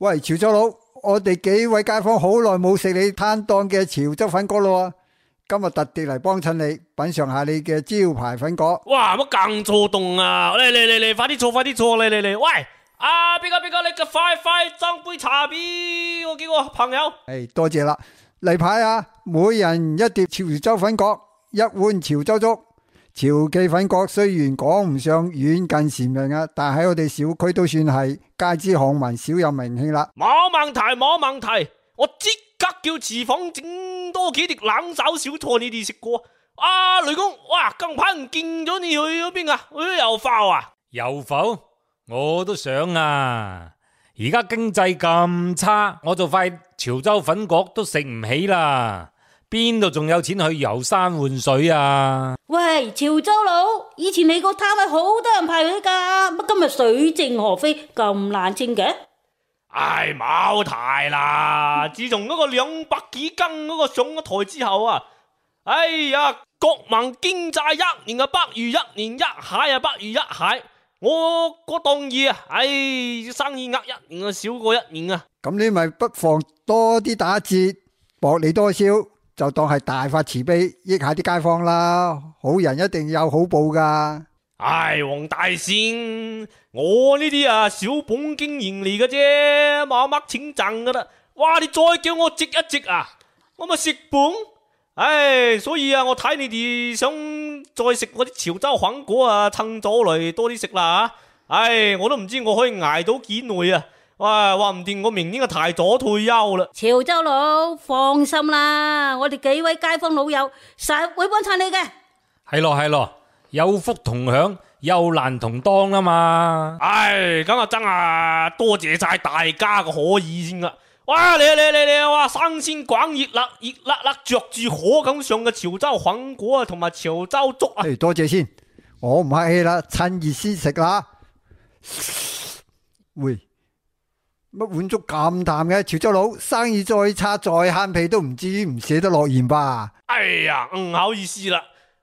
喂，潮州佬，我哋幾位街坊好耐冇食你攤檔嘅潮州粉果咯，今日特地嚟幫襯你，品嘗下你嘅招牌粉果。哇，乜咁躁動啊？嚟，快啲坐，嚟！喂，啊，邊個？你個快斟杯茶俾我幾個朋友。多謝啦。例牌啊，每人一碟潮州粉果，一碗潮州粥。潮記粉果雖然講唔上遠近馳名啊，但喺我哋小區都算係街知巷聞，小有名氣啦。冇問題，我即刻叫廚房整多幾碟冷炒小菜你哋食過。啊，雷公，哇，近排唔見咗你去咗邊啊？去咗油埠啊？油埠我都想啊，而家經濟咁差，我就塊潮州粉果都食唔起啦。邊度仲有錢去遊山玩水啊？喂，潮州佬，以前你個攤位好多人排隊噶，乜今日水靜河飛咁冷清嘅？唉，冇提啦！自從嗰個200幾斤嗰個上咗台之後啊，哎呀，國民經濟一年啊不如一年，一蟹啊不如一蟹。我個檔嘢啊，唉，生意額一年啊少過一年啊。咁你咪不妨多啲打折，薄利多銷。就當係大發慈悲，益下啲街坊啦。好人一定有好報噶。唉，黃大仙，我呢啲啊小本經營嚟嘅啫，冇乜錢賺噶啦。哇，你再叫我值一值啊，我咪蝕本。唉，所以啊，我睇你哋想再食嗰啲潮州粉果啊，趁早嚟多啲食啦吓。唉，我都唔知我可以捱到幾耐啊。哇，話唔定我明年就提早退休啦。潮州佬放心啦，我哋幾位街坊老友實會幫襯你嘅。係咯，有福同享，有難同當啊嘛。唉，咁啊真係多謝晒大家嘅可意先啦。哇，嚟，哇，新鮮滾熱辣着住火咁上嘅潮州粉果啊，同埋潮州粥啊。多謝先，我唔客氣啦，趁熱先食啦。喂，乜碗粥咁淡嘅？潮州佬生意再差再慳皮都唔至於唔捨得落鹽吧？哎呀，唔好意思啦，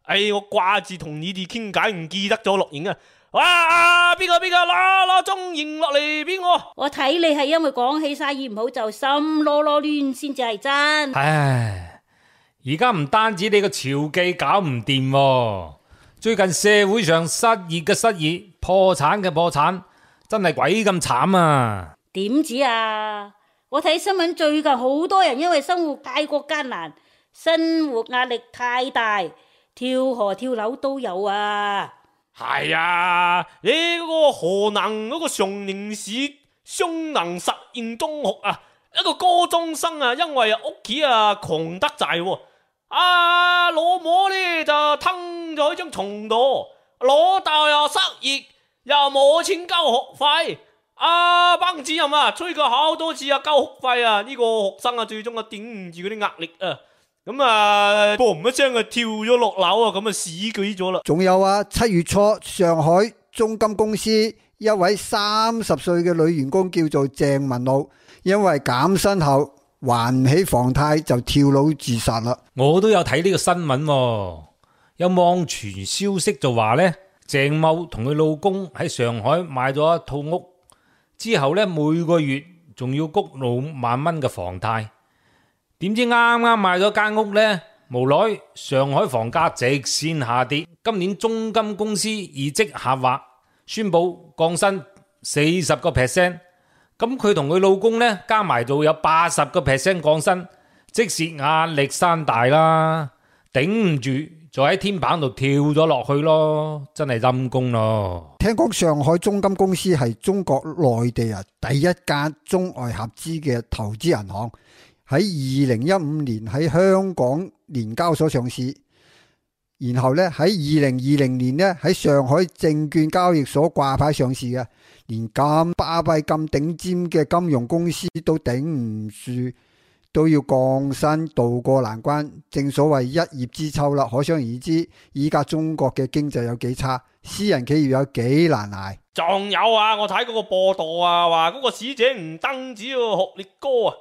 我掛住同你哋傾偈，唔記得咗落鹽啊！哇，邊個攞中鹽落嚟俾我？我睇你係因為講起生意唔好就心囉囉攣先至係真。唉，而家唔單止你個潮記搞唔掂，最近社會上失業嘅失業，破產嘅破產，真係鬼咁慘啊！點止啊！我睇新聞最近好多人因為生活太過艱難，生活壓力太大，跳河跳樓都有啊！係啊，你嗰個河南嗰個常寧市湘南實驗中學啊，一個高中生啊，因為屋企啊窮得滯，老母呢就吞咗喺張床度，老豆又失業，又冇錢交學費。班主任啊，催佢好多次啊，交學費啊，呢個學生啊，最終啊頂唔住嗰啲壓力啊，咁啊，嘣一聲啊跳咗落樓啊，咁啊死鬼咗啦。仲有啊，7月初上海中金公司一位30歲嘅女員工叫做鄭文露，因為減薪後還唔起房貸就跳樓自殺啦。我都有睇呢個新聞，有網傳消息就話呢，鄭某同佢老公喺上海買咗一套屋。之後呢，每個月仲要谷6萬蚊嘅房貸，點知啱啱買咗間屋呢，無奈上海房價直線下跌，今年中金公司業績下滑，宣布降薪40%，咁佢同佢老公呢，加埋就有80%降薪，即時壓力山大啦，頂唔住就喺天棚度跳咗落去咯，真係陰公咯。聽講上海中金公司係中國內地第一間中外合資嘅投資銀行，喺2015年喺香港聯交所上市，然後咧喺2020年咧喺上海證券交易所掛牌上市嘅，連咁巴閉咁頂尖嘅金融公司都頂唔住，都要降薪渡過難關，正所謂一葉知秋啦。可想而知，依家中國嘅經濟有幾差，私人企業有幾難捱。仲有啊，我睇嗰個報道啊，話嗰個使者唔單止要學歷高啊，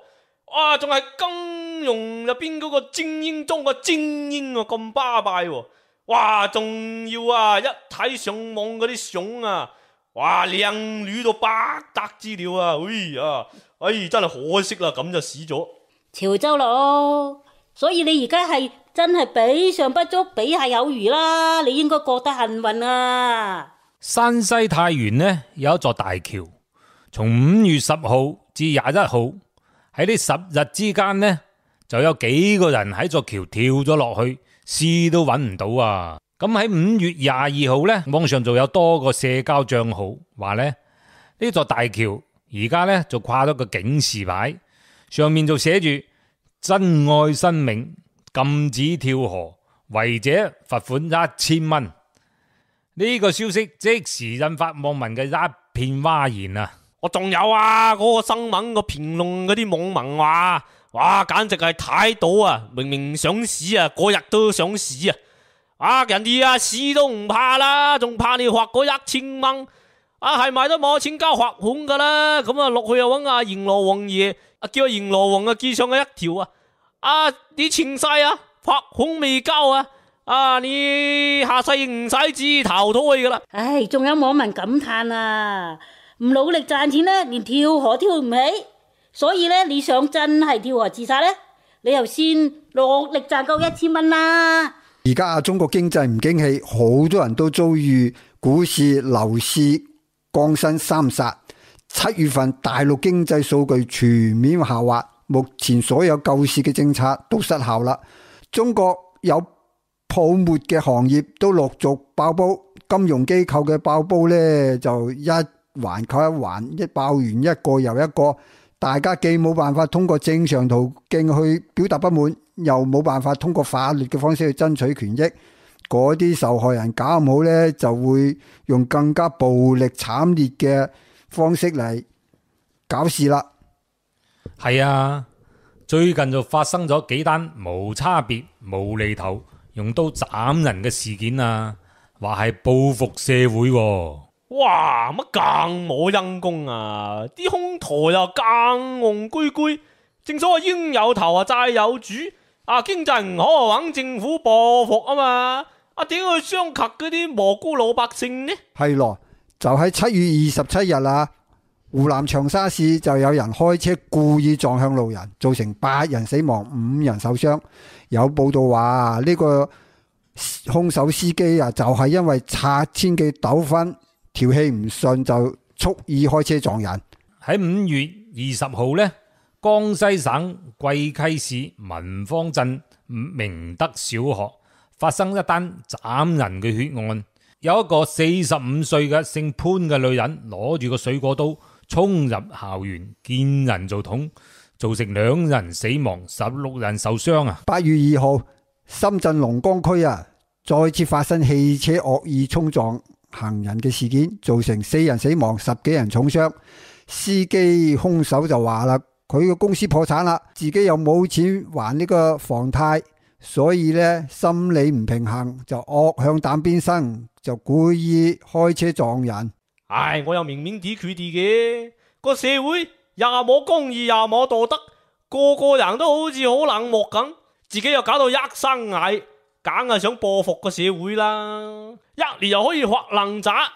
哇，仲係金融入邊嗰個精英中嘅精英啊，咁巴閉喎！哇，仲要啊，一睇上網嗰啲相啊，哇，靚女到不得之了啊！真係可惜啦，咁就死咗。潮州佬，所以你而家係真係比上不足，比下有餘啦，你應該覺得幸運啊！山西太原呢有一座大橋，從5月10號至21號喺呢10日之間呢，就有幾個人喺座橋跳咗落去，試都揾唔到啊！咁喺5月22號呢，網上就有多個社交賬號話呢座大橋而家呢就掛咗個警示牌，上面就寫住珍愛生命，禁止跳河，違者罰款1000蚊。呢個消息即時引發網民嘅一片嘩然啊！我仲有啊，嗰個新聞個評論嗰啲網民話，哇，簡直係睇到啊！明明想死啊，嗰日都想死啊！人哋啊死都唔怕啦，仲怕你罰嗰1000蚊啊？係咪都冇錢交罰款噶啦？咁啊落去又揾阿閻羅王爺，叫阿閻羅王記上嘅一條你前世罰款未交你下世唔使自投胎噶啦！唉，仲有網民感嘆啊，唔努力賺錢呢，連跳河跳唔起，所以呢，你想真係跳河自殺呢，你又先落力賺夠1000蚊啦！而家中國經濟唔景氣，好多人都遭遇股市、樓市降薪三殺。7月份大陸經濟數據全面下滑，目前所有救市嘅政策都失效啦。中國有泡沫嘅行業都陸續爆煲，金融機構嘅爆煲呢，就一環扣一環，一爆完一個又一個，大家既冇辦法通過正常途徑去表達不滿，又冇辦法通過法律嘅方式去爭取權益，嗰啲受害人搞唔好呢，就會用更加暴力慘烈嘅方式嚟搞事啦。係啊，最近就發生咗幾單無差別無厘頭用刀斬人嘅事件啊，話係報復社會喎。哇，乜更冇陰功啊？啲兇徒又更戇居居，正所謂冤有頭債有主經濟唔好揾政府報復啊嘛，點去傷及嗰啲無辜老百姓呢？係咯，就喺7月27日湖南長沙市就有人開車故意撞向路人，造成8人死亡5人受傷。有報道話呢個兇手司機就係因為拆遷嘅糾紛，條氣唔順就蓄意開車撞人。喺5月20號呢，江西省貴溪市文芳鎮明德小學發生一單斬人嘅血案，有一個45歲嘅姓潘嘅女人攞住個水果刀衝入校園，見人就捅，造成2人死亡，16人受傷啊！8月2號，深圳龍崗區再次發生汽車惡意衝撞行人嘅事件，造成4人死亡，10幾人重傷。司機兇手就話啦，佢個公司破產啦，自己又冇錢還呢個房貸，所以呢心理唔平衡，就惡向膽邊生，就故意開車撞人。我又明明啲佢哋嘅個社會又冇公義又冇道德，個人都好似好冷漠咁，自己又搞到一身蟻，梗係想報復個社會啦。一年又可以發爛渣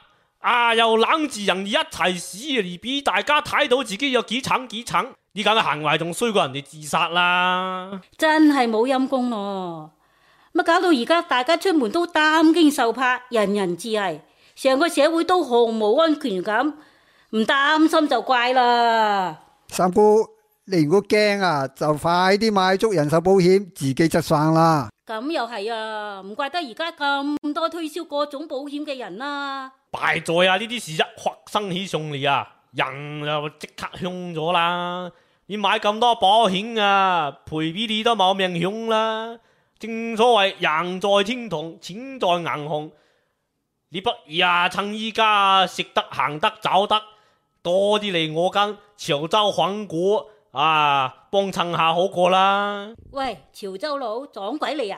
又攬住人哋一齊死，而俾大家睇到自己有幾慘幾慘，呢咁嘅行為仲衰過人哋自殺啦。真係冇陰功咯，乜搞到而家大家出門都擔驚受怕，人人自危，成個社會都毫無安全感，唔擔心就怪啦。三姑，你如果驚就快啲買足人壽保險，自己執生啦。咁又係唔怪得而家咁多推銷各種保險嘅人啦。敗在呢啲事一發生起上嚟人就即刻凶咗啦。你買咁多保險賠俾你都冇命凶啦。正所謂人在天堂，錢在銀行。你不如趁依家食得行得走得，多啲嚟我間潮州粉果幫襯下好過啦。喂，潮州佬撞鬼嚟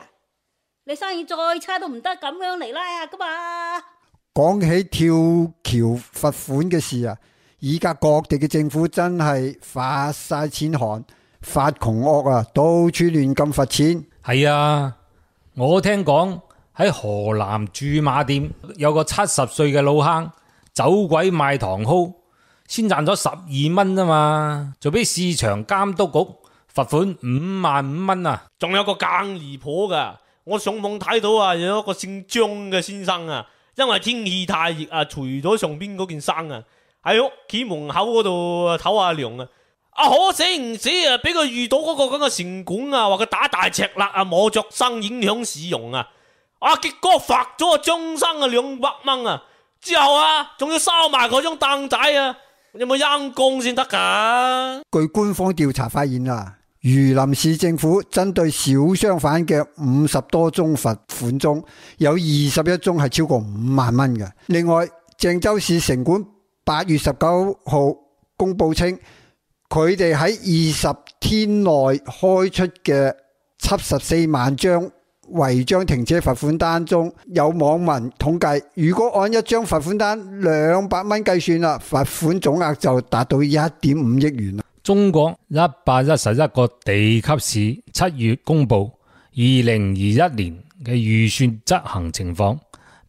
你生意再差都唔得咁樣嚟啦噶嘛。講起跳橋罰款嘅事而家各地嘅政府真係發晒錢寒，發窮惡到處亂咁罰錢。係啊，我聽講喺河南駐馬店有個70歲嘅老坑，走鬼賣糖蒿，先賺咗12蚊啊嘛，就俾市場監督局罰款55,000蚊啊！仲有個更離譜噶，我上網睇到啊，有一個姓張嘅先生啊，因為天氣太熱啊，除咗上邊嗰件衫啊，喺屋企門口嗰度唞下涼啊。可死唔死啊！俾佢遇到嗰個咁嘅城管啊，話佢打大赤肋啊，冇着衫影響市容啊！結果罰咗個張生啊200蚊啊！之後啊，仲要收埋嗰張凳仔啊！有冇陰公先得噶？據官方調查發現啊，榆林市政府針對小商販嘅50多宗罰款中，有21宗係超過5萬蚊嘅。另外，鄭州市城管8月19號公布稱，佢哋喺20天內開出嘅74萬張違章停車罰款單中，有網民統計，如果按一張罰款單200蚊計算啦，罰款總額就達到1.5億元啦。中國111個地級市7月公布2021年嘅預算執行情況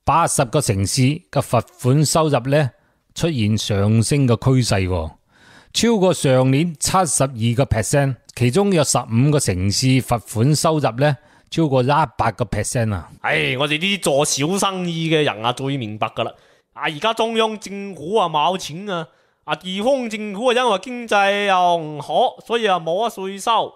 ，80個城市嘅罰款收入呢出現上升嘅趨勢，超過上年72%，其中有15個城市罰款收入呢超過100%啊！我哋呢啲做小生意嘅人啊，最明白噶啦。而家中央政府啊冇錢啊，地方政府啊因為經濟又唔好，所以啊冇乜稅收，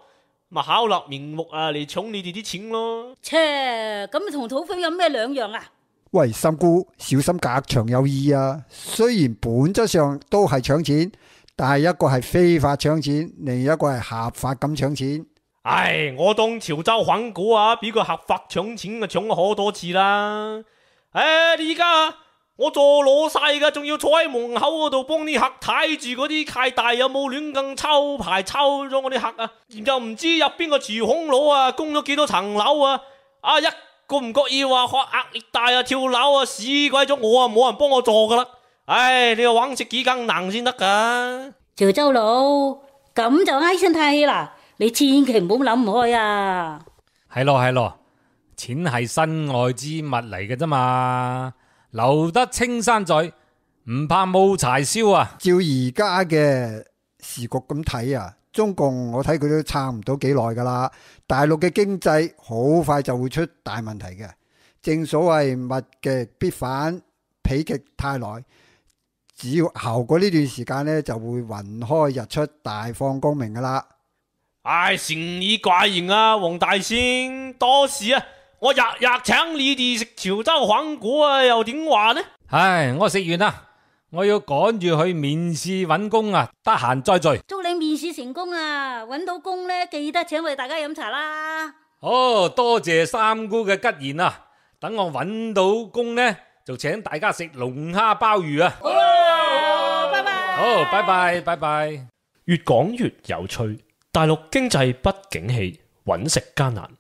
咪巧立名目啊嚟搶你哋啲錢咯。切，咁同土匪有咩兩樣啊？喂，三姑小心隔牆有耳啊！雖然本質上都係搶錢，但係一個係非法搶錢，另一個係合法咁搶錢。我當潮州反股啊，比佢合法搶錢啊搶咗好多次啦。而家我做老細嘅，仲要坐喺門口嗰度幫啲客睇住嗰啲契弟有冇亂咁抽牌抽咗我啲客啊，然後唔知入邊個廚空佬啊供咗幾多層樓啊，一個唔覺意話壓力大啊跳樓啊死鬼咗我啊，冇人幫我做噶啦。你要搵食幾更難先得噶。潮州佬咁就唉聲嘆氣啦。你千祈唔好諗唔開啊！係咯，錢係身外之物嚟嘅啫嘛，留得青山在，唔怕冇柴燒啊！照而家嘅時局咁睇啊，中共我睇佢都撐唔到幾耐噶啦，大陸嘅經濟好快就會出大問題嘅。正所謂物極必反，否極泰來，只要熬過呢段時間呢，就會雲開日出，大放光明噶啦。誠以貴言啊，黃大仙，到時啊，我日日請你哋食潮州粉股啊，又點話呢？我食完啦，我要趕住去面試搵工啊，得閒再聚。祝你面試成功啊！搵到工呢，記得請我哋大家飲茶啦。多謝三姑嘅吉言啊！等我搵到工呢，就請大家食龍蝦鮑魚啊！好，拜拜。好，拜拜，拜拜。越講越有趣。大陸經濟不景氣，揾食艱難。